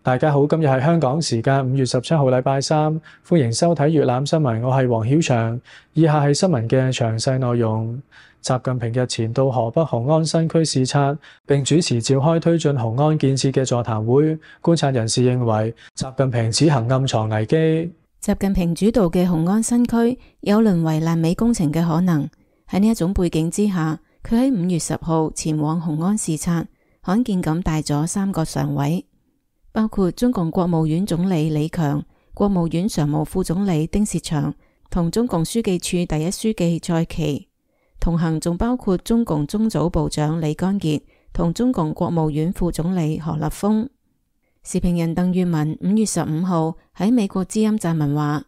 大家好，今日係香港時間5月17號禮拜三，歡迎收睇粵覽新聞，我係黃曉翔。以下係新聞嘅詳細內容。習近平日前到河北雄安新區視察，並主持召開推進雄安建設嘅座談會。觀察人士認為，習近平此行暗藏危機。習近平主導嘅雄安新區有淪為爛尾工程嘅可能。喺呢一種背景之下，佢喺5月10號前往雄安視察，罕見咁帶咗3個常委，包括中共國務院總理李強、國務院常務副總理丁薛祥同中共書記處第一書記蔡奇。同行仲包括中共中組部長李乾傑同中共國務院副總理何立峰。時評人鄧月文5月15號喺美國之音撰文話，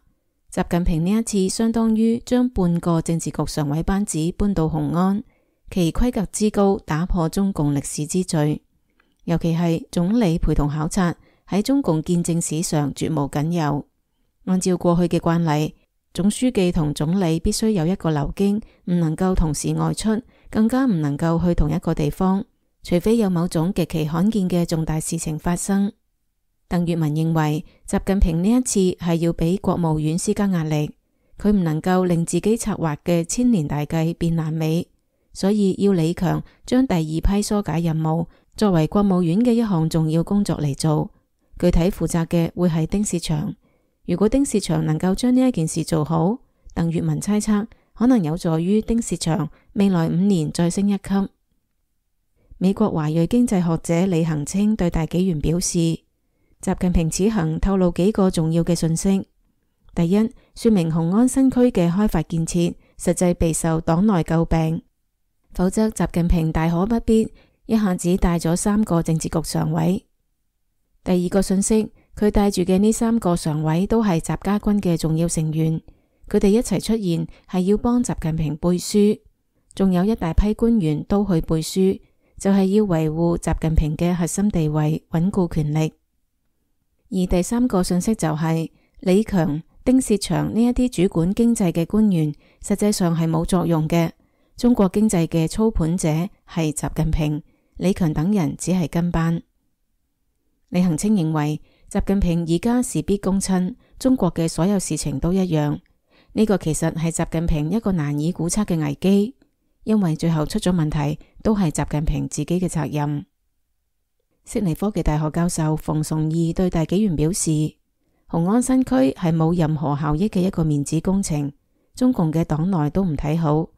習近平呢一次相當於將半個政治局常委班子搬到雄安，其規格之高打破中共歷史之最，尤其係總理陪同考察，喺中共建政史上絕無僅有。按照過去嘅慣例，總書記同總理必須有一個流經，唔能夠同時外出，更加唔能夠去同一個地方，除非有某種極其罕見嘅重大事情發生。鄧月文認為，習近平呢一次係要俾國務院施加壓力，佢唔能夠令自己策劃嘅千年大計變爛尾，所以要李強將第二批疏解任務作為國務院嘅一項重要工作嚟做，具體負責嘅會係丁薛祥。如果丁薛祥能夠將呢一件事做好，鄧月文猜測可能有助於丁薛祥未來5年再升一級。美國華裔經濟學者李恒清對大紀元表示，習近平此行透露幾個重要嘅信息。第一，說明雄安新區嘅開發建設實際備受黨內詬病，否則習近平大可不必一下子帶咗3個政治局常委。第二個信息，佢帶住嘅呢3個常委都係習家軍嘅重要成員，佢哋一齊出現係要幫習近平背書，仲有一大批官員都去背書，就係要維護習近平嘅核心地位，穩固權力。而第3個信息就係李強、丁薛祥呢一啲主管經濟嘅官員，實際上係冇作用嘅。中國經濟嘅操盤者係習近平，李強等人只係跟班。李恒清認為，習近平而家事必躬親，中國嘅所有事情都一樣。呢個其實係習近平一個難以估測嘅危機，因為最後出咗問題都係習近平自己嘅責任。悉尼科技大學教授馮崇義對大紀元表示，雄安新區係冇任何效益嘅一個面子工程，中共嘅黨內都唔睇好。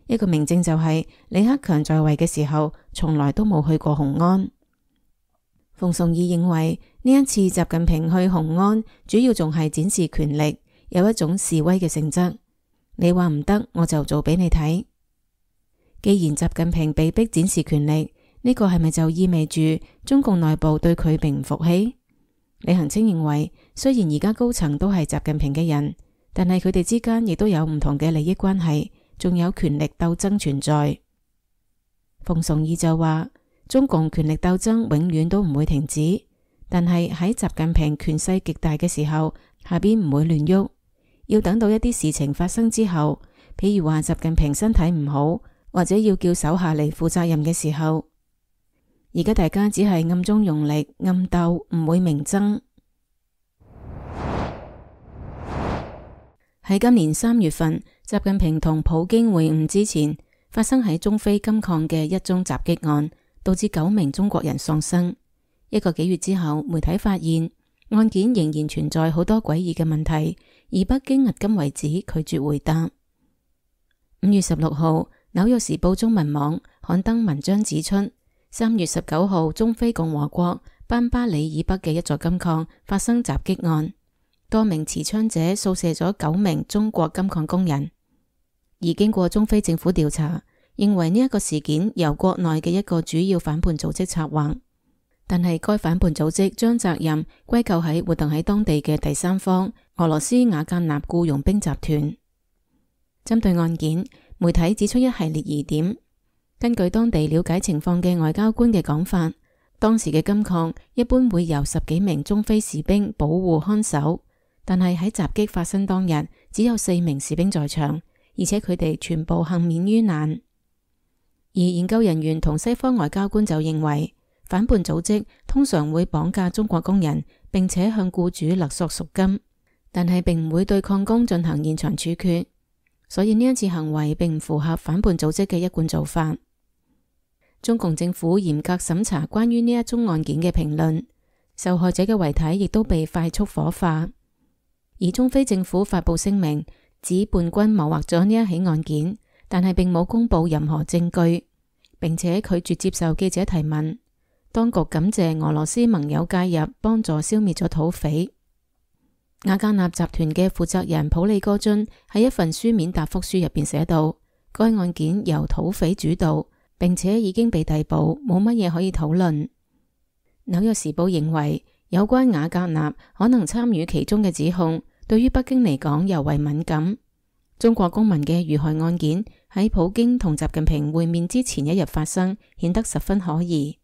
一個明證就係李克強在位嘅時候，從來都冇去過雄安。馮崇義認為呢一次習近平去雄安，主要仲係展示權力，有一種示威嘅性質。你話唔得，我就做俾你睇。既然習近平被逼展示權力，呢個係咪就意味住中共內部對佢並唔服氣？李恒清認為，雖然而家高層都係習近平嘅人，但係佢哋之間亦都有唔同嘅利益關係，仲有權力鬥爭存在。馮崇義就話，中共權力鬥爭永遠都唔會停止，但係喺習近平權勢極大嘅時候，下邊唔會亂喐，要等到一啲事情發生之後，譬如話習近平身體唔好，或者要叫手下嚟負責任嘅時候。而家大家只係暗中用力，暗鬥，唔會明爭。喺今年3月份，習近平同普京會晤之前，發生喺中非金礦嘅一宗襲擊案，導致9名中國人喪生。1個幾月之後，媒體發現案件仍然存在好多詭異嘅問題，而北京迄今為止拒絕回答。5月16號，紐約時報中文網刊登文章指出，3月19號，中非共和國班巴里以北嘅一座金礦發生襲擊案，多名持槍者掃射咗9名中國金礦工人。而經過中非政府調查，認為呢一個事件由國內嘅一個主要反叛組織策劃，但係該反叛組織將責任歸咎喺活動喺當地嘅第三方俄羅斯瓦格納僱傭兵集團。針對案件，媒體指出一系列疑點。根據當地了解情況嘅外交官嘅講法，當時嘅金礦一般會由10幾名中非士兵保護看守，但係喺襲擊發生當日，只有4名士兵在場，而且佢哋全部幸免於難。而研究人員同西方外交官就認為，反叛組織通常會綁架中國工人，並且向僱主勒索贖金，但係並唔會對礦工進行現場處決，所以呢一次行為並唔符合反叛組織嘅一貫做法。中共政府嚴格審查關於呢一宗案件嘅評論，受害者嘅遺體亦都被快速火化。而中非政府發布聲明，指叛軍謀劃咗呢一起案件，但係並冇公布任何證據，並且拒絕接受記者提問。當局感謝俄羅斯盟友介入，幫助消滅咗土匪。瓦格納集團嘅負責人普利戈津喺一份書面答覆書入邊寫到，該案件由土匪主導，並且已經被逮捕，冇乜嘢可以討論。紐約時報認為，有關瓦格納可能參與其中嘅指控，對於北京嚟講尤為敏感。中國公民嘅遇害案件喺普京同習近平會面之前一日發生，顯得十分可疑。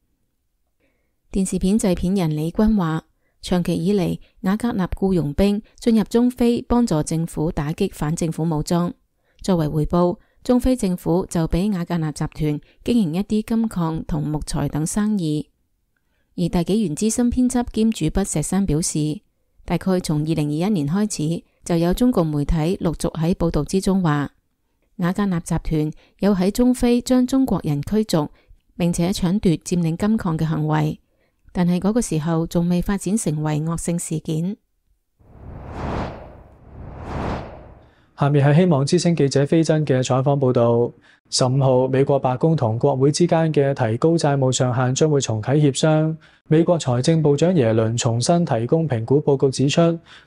電視片製片人李軍話，長期以嚟，瓦格納僱傭兵進入中非幫助政府打擊反政府武裝，作為回報，中非政府就俾瓦格納集團經營一啲金礦同木材等生意。而大紀元資深編輯兼主筆石山表示，大概從2021年開始，就有中共媒體陸續喺報道之中話，瓦格納集團有喺中非將中國人驅逐，並且搶奪佔領金礦嘅行為，但係嗰個時候仲未發展成為惡性事件。下面係希望之聲記者飛真嘅採訪報導。15號，美國白宮同國會之間嘅提高債務上限將會重啟協商。美國財政部長耶倫重新提供評估報告，指出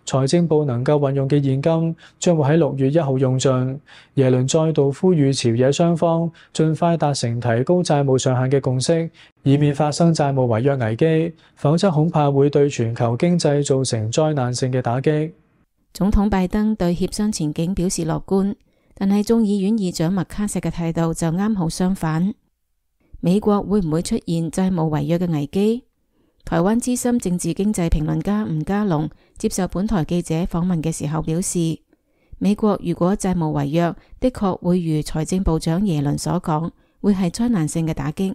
財政部能夠運用嘅現金將會喺6月1號用盡。耶倫再度呼籲朝野雙方盡快達成提高債務上限嘅共識，以免發生債務違約危機，否則恐怕會對全球經濟造成災難性嘅打擊。總統拜登對協商前景表示樂觀，但係眾議院議長麥卡錫嘅態度就啱好相反。美國會唔會出現債務違約嘅危機？台灣資深政治經濟評論家吳家龍接受本台記者訪問嘅時候表示，美國如果債務違約，的確會如財政部長耶倫所講，會係災難性嘅打擊，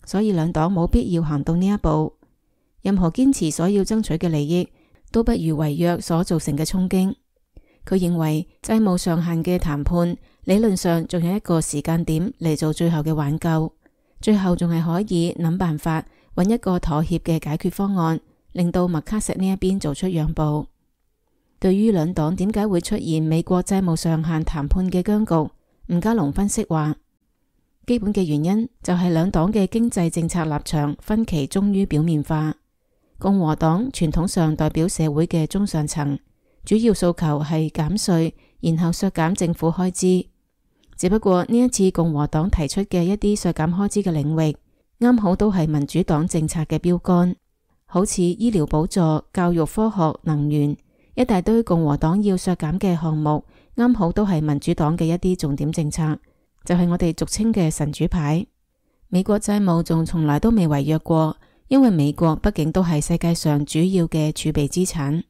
所以兩黨冇必要行到呢一步。任何堅持所要爭取嘅利益，都不如違約所造成嘅衝擊。佢認為債務上限嘅談判理論上仲有一個時間點嚟做最後嘅挽救，最後仲係可以諗辦法揾一個妥協嘅解決方案，令到麥卡錫呢一邊做出讓步。對於兩黨點解會出現美國債務上限談判嘅僵局，吳家龍分析話，基本嘅原因就係兩黨嘅經濟政策立場分歧終於表面化。共和黨傳統上代表社會嘅中上層，主要訴求係減稅，然後削減政府開支。只不過呢一次共和黨提出嘅一啲削減開支嘅領域，啱好都係民主黨政策嘅標杆，好似醫療補助、教育、科學、能源，一大堆共和黨要削減嘅項目，啱好都係民主黨嘅一啲重點政策，就係我哋俗稱嘅神主牌。美國債務仲從來都未違約過，因為美國畢竟都係世界上主要嘅儲備資產。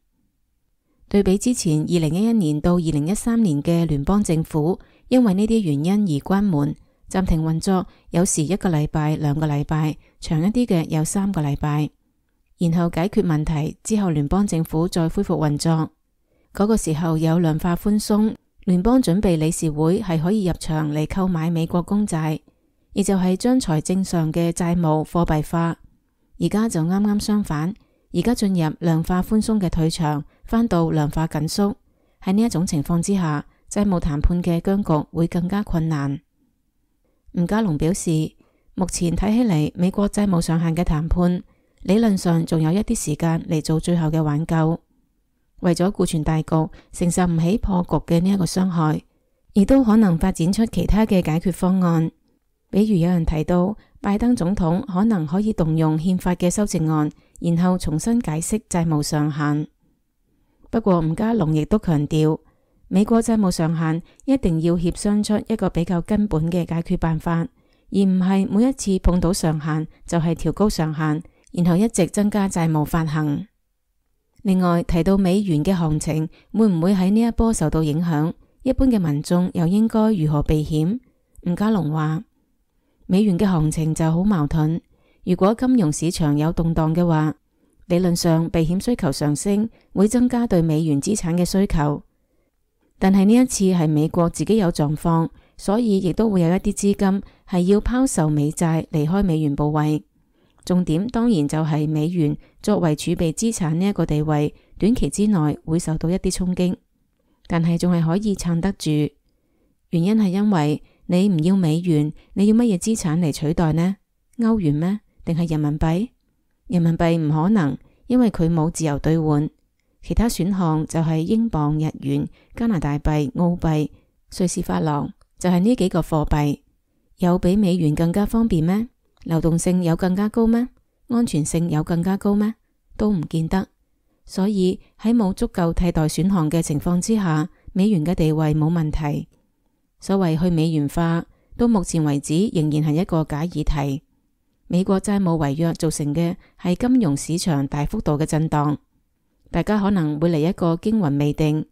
對比之前2011年到2013年嘅聯邦政府，因為呢啲原因而關門、暫停運作，有時1個禮拜、2個禮拜，長一啲嘅有3個禮拜，然後解決問題之後，聯邦政府再恢復運作。嗰個時候有量化寬鬆，聯邦準備理事會係可以入場嚟購買美國公債，亦就係將財政上嘅債務貨幣化。而家就啱啱相反，而家進入量化寬鬆嘅退場，返到量化緊縮。喺呢一種情況之下，債務談判嘅僵局會更加困難。吳家龍表示，目前睇起嚟，美國債務上限嘅談判理論上仲有一啲時間嚟做最後嘅挽救。為咗顧全大局，承受唔起破局嘅呢一個傷害，亦都可能發展出其他嘅解決方案。比如有人提到，拜登總統可能可以動用憲法嘅修正案，然後重新解釋債務上限。不過吳家龍亦都強調，美國債務上限一定要協商出一個比較根本嘅解決辦法，而唔係每一次碰到上限就係調高上限，然後一直增加債務發行。另外提到美元嘅行情會唔會喺呢一波受到影響，一般嘅民眾又應該如何避險？吳家龍話，美元嘅行情就好矛盾。如果金融市場有動盪嘅話，理論上避險需求上升，會增加對美元資產嘅需求。但係呢一次係美國自己有狀況，所以亦都會有一啲資金係要拋售美債離開美元部位。重點當然就係美元作為儲備資產呢一個地位，短期之內會受到一啲衝擊，但係仲係可以撐得住。原因係因為你唔要美元，你要乜嘢資產嚟取代呢？歐元咩？定係人民幣？人民幣唔可能，因為佢冇自由兌換。其他選項就係英鎊、日元、加拿大幣、澳幣、瑞士法郎，就係呢幾個貨幣。有比美元更加方便咩？流動性有更加高咩？安全性有更加高咩？都唔見得。所以喺冇足夠替代選項嘅情況之下，美元嘅地位冇問題。所謂去美元化，到目前為止仍然係一個假議題。美國債務違約造成嘅係金融市場大幅度嘅震盪，大家可能會嚟一個驚魂未定，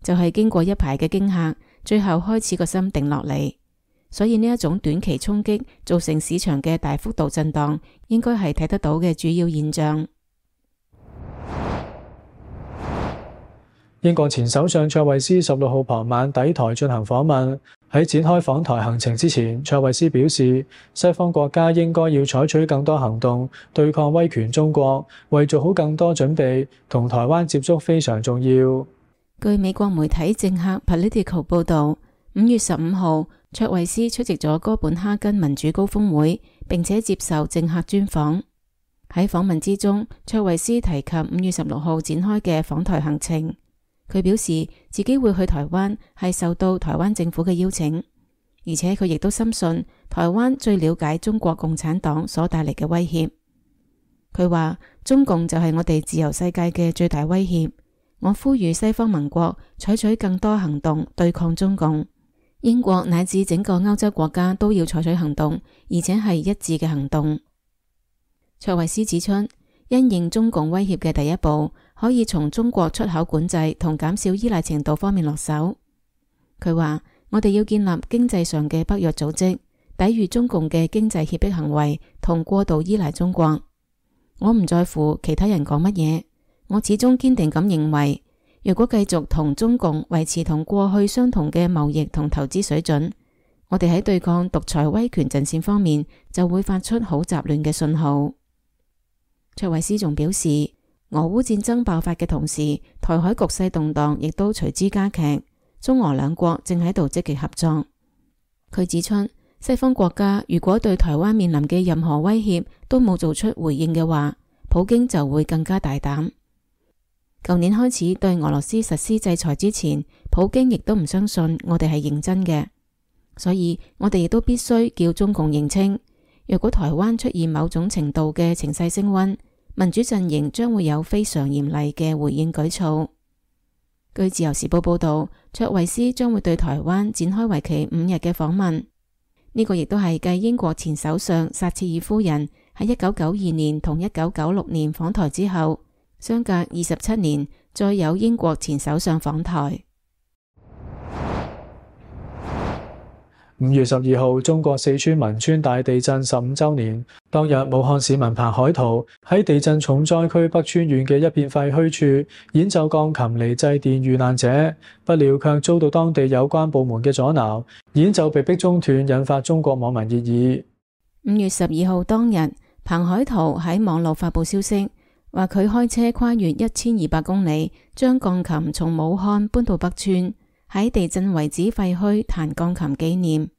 就係經過一排嘅驚嚇，最後開始個心定落嚟。所以呢一種短期衝擊造成市場嘅大幅度震盪，應該係睇得到嘅主要現象。英國前首相卓慧思16號傍晚抵台進行訪問。喺展開訪台行程之前，卓慧思表示，西方國家應該要採取更多行動對抗威權中國，為做好更多準備，同台灣接觸非常重要。據美國媒體政客 Politico 報導，5月15號，卓慧思出席咗哥本哈根民主高峰會，並且接受政客專訪。喺訪問之中，卓慧思提及5月16號展開嘅訪台行程。佢表示自己會去台灣係受到台灣政府嘅邀請，而且佢亦都深信台灣最了解中國共產黨所帶嚟嘅威脅。佢話中共就係我哋自由世界嘅最大威脅，我呼籲西方盟國採取更多行動對抗中共，英國乃至整個歐洲國家都要採取行動，而且係一致嘅行動。卓慧思指出，因應中共威脅嘅第一步，可以從中國出口管制同減少依賴程度方面落手。佢話我哋要建立經濟上嘅北約組織，抵禦中共嘅經濟脅迫行為同過度依賴中國。我唔在乎其他人講乜嘢，我始終堅定咁認為，如果繼續同中共維持同過去相同嘅貿易同投資水準，我哋喺對抗獨裁威權陣線方面就會發出好雜亂嘅信號。卓慧思仲表示，俄烏戰爭爆發嘅同時，台海局勢動盪亦都隨之加劇，中俄兩國正喺度積極合作。佢指出，西方國家如果對台灣面臨嘅任何威脅都冇做出回應嘅話，普京就會更加大膽。舊年開始對俄羅斯實施制裁之前，普京亦都唔相信我哋係認真嘅，所以我哋亦都必須叫中共認清，若果台灣出現某種程度嘅情勢升溫，民主陣營將會有非常嚴厲嘅回應舉措。據自由時報報道，卓慧思將會對台灣展開為期5日嘅訪問，呢個亦都係繼英國前首相撒切爾夫人喺1992年同1996年訪台之後，相隔27年，再有英國前首相訪台。5月12號，中國四川汶川大地震15週年。當日，武漢市民彭海濤喺地震重災區北川縣嘅一片廢墟處演奏鋼琴嚟祭奠遇難者，不料卻遭到當地有關部門嘅阻撓，演奏被迫中斷，引發中國網民熱議。5月12號當日，彭海濤喺網絡發佈消息，話佢開車跨越1200公里，將鋼琴從武漢搬到北川，喺地震遺址廢墟彈鋼琴紀念。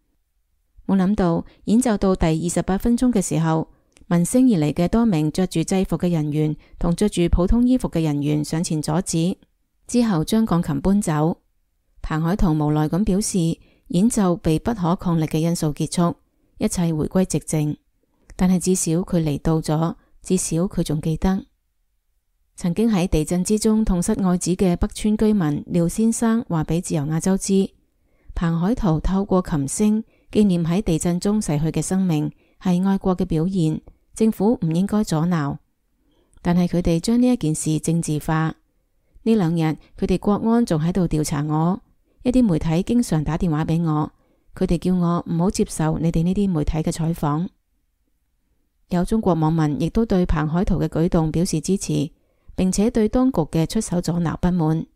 冇諗到演奏到第28分鐘嘅時候，聞聲而嚟嘅多名着住制服嘅人員同着住普通衣服嘅人員上前阻止，之後將鋼琴搬走。彭海濤無奈咁表示，演奏被不可抗力嘅因素結束，一切回歸寂靜。但係至少佢嚟到咗，至少佢仲記得。曾經喺地震之中痛失愛子嘅北川居民廖先生話俾自由亞洲知，彭海濤透過琴聲紀念喺地震中逝去嘅生命，係愛國嘅表現，政府唔應該阻撓。但係佢哋將呢一件事政治化。呢2日佢哋國安仲喺度調查我，一啲媒體經常打電話俾我，佢哋叫我唔好接受你哋呢啲媒體嘅採訪。有中國網民亦都對彭海圖嘅舉動表示支持，並且對當局嘅出手阻撓不滿。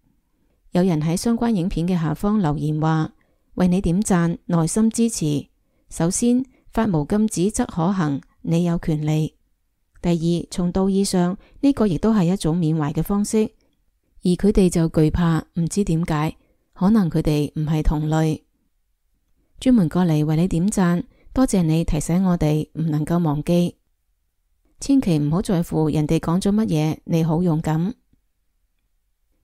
有人喺相關影片嘅下方留言話：為你點讚，內心支持。首先，發無禁止則可行，你有權利。第二，從道義上呢個亦都係一種緬懷嘅方式，而佢哋就懼怕，唔知點解，可能佢哋唔係同類。專門過嚟為你點讚，多謝你提醒我哋唔能夠忘記，千祈唔好在乎人哋講咗乜嘢，你好勇敢。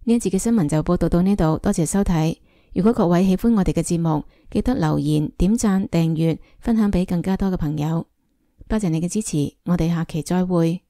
呢一節嘅新聞就報道到呢度，多謝收睇。如果各位喜歡我哋嘅節目，記得留言、點讚、訂閱、分享俾更加多嘅朋友。多謝你嘅支持，我哋下期再會。